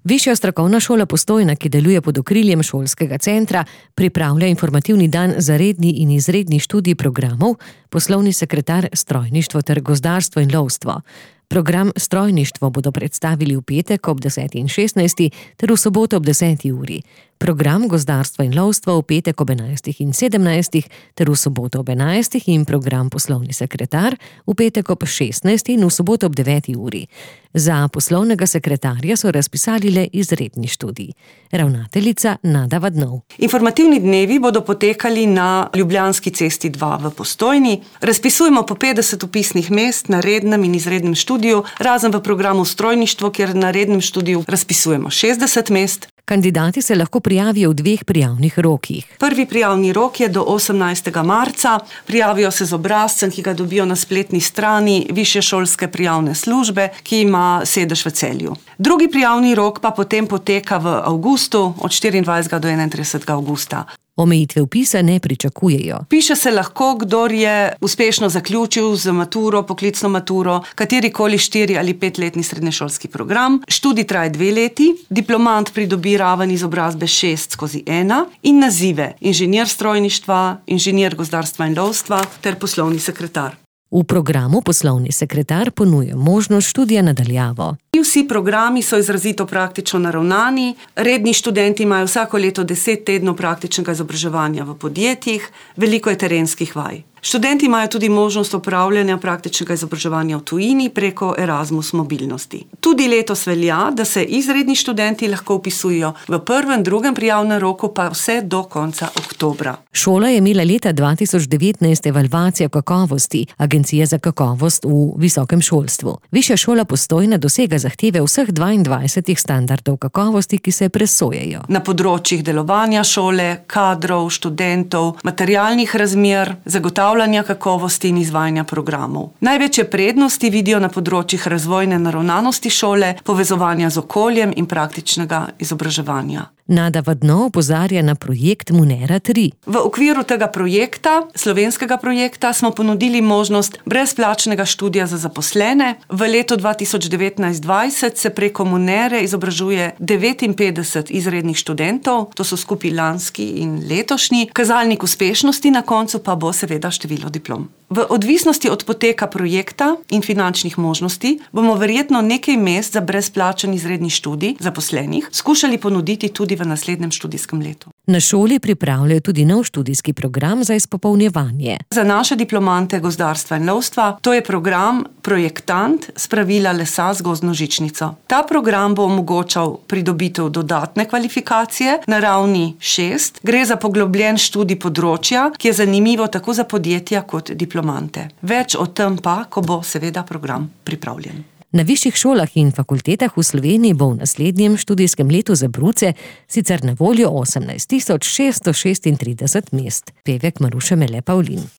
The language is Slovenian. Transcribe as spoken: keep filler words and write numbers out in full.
Višja strokovna šola Postojna, ki deluje pod okriljem šolskega centra, pripravlja informativni dan za redni in izredni študij programov, poslovni sekretar strojništvo ter gozdarstvo in lovstvo. Program strojništvo bodo predstavili v petek ob deseti in šestnajsti ter v soboto ob deseti uri. Program gozdarstva in lovstva v petek ob enajstih in sedemnajstih ter v soboto ob enajstih in program poslovni sekretar v petek ob šestnajsti in v soboto ob deveti uri. Za poslovnega sekretarja so razpisali le izredni študij. Ravnateljica Nada Vadnov. Informativni dnevi bodo potekali na Ljubljanski cesti dva v Postojni. Razpisujemo po petdeset vpisnih mest na rednem in izrednem študiju, razen v programu strojništvo, kjer na rednem študiju razpisujemo šestdeset mest. Kandidati se lahko prijavijo v dveh prijavnih rokih. Prvi prijavni rok je do osemnajstega marca. Prijavijo se z obrazcem, ki ga dobijo na spletni strani Višje šolske prijavne službe, ki ima sedež v Celju. Drugi prijavni rok pa potem poteka v avgustu, od štiriindvajsetega do enaintridesetega avgusta. Omejitve vpisa ne pričakujejo. Piše se lahko, kdor je uspešno zaključil z maturo, poklicno maturo, katerikoli štiri- ali petletni srednješolski program. Študij traja dve leti, diplomant pridobi raven izobrazbe šest skozi ena in nazive inženir strojništva, inženir gozdarstva in lovstva ter poslovni sekretar. V programu poslovni sekretar ponuja možnost študija na daljavo. Vsi programi so izrazito praktično naravnani. Redni študenti imajo vsako leto deset tednov praktičnega izobraževanja v podjetjih, veliko je terenskih vaj. Študenti imajo tudi možnost opravljanja praktičnega izobraževanja v tujini preko Erasmus mobilnosti. Tudi letos velja, da se izredni študenti lahko vpisujejo v prvem, drugem prijavnem roku pa vse do konca oktobra. Šola je imela leta dva tisoč devetnajst evalvacijo kakovosti Agencije za kakovost v visokem šolstvu. Višja šola Postojna dosega zahteve vseh dvaindvajsetih standardov kakovosti, ki se presojajo. Na področjih delovanja šole, kadrov, študentov, materialnih razmer, zagotavljanja kakovosti in izvajanja programov. Največje prednosti vidijo na področjih razvojne naravnanosti šole, povezovanja z okoljem in praktičnega izobraževanja. Nada Vadnov opozarja na projekt Munera tri. V okviru tega projekta, slovenskega projekta, smo ponudili možnost brezplačnega študija za zaposlene. V letu dva tisoč devetnajst dvajset se preko Munere izobražuje devetinpetdeset izrednih študentov, to so skupaj lanski in letošnji. Kazalnik uspešnosti na koncu pa bo seveda število diplom. V odvisnosti od poteka projekta in finančnih možnosti bomo verjetno nekaj mest za brezplačen izredni študij zaposlenih skušali ponuditi tudi v naslednjem študijskem letu. Na šoli pripravljajo tudi nov študijski program za izpopolnjevanje. Za naše diplomante gozdarstva in lovstva to je program Projektant spravila lesa z gozdno žičnico. Ta program bo omogočal pridobitev dodatne kvalifikacije na ravni šest. Gre za poglobljen študij področja, ki je zanimivo tako za podjetja kot diplomante. Več o tem pa, ko bo seveda program pripravljen. Na višjih šolah in fakultetah v Sloveniji bo v naslednjem študijskem letu za bruce sicer na voljo osemnajst tisoč šeststo šestintrideset mest. Pevek Maruša Mele Pavlin.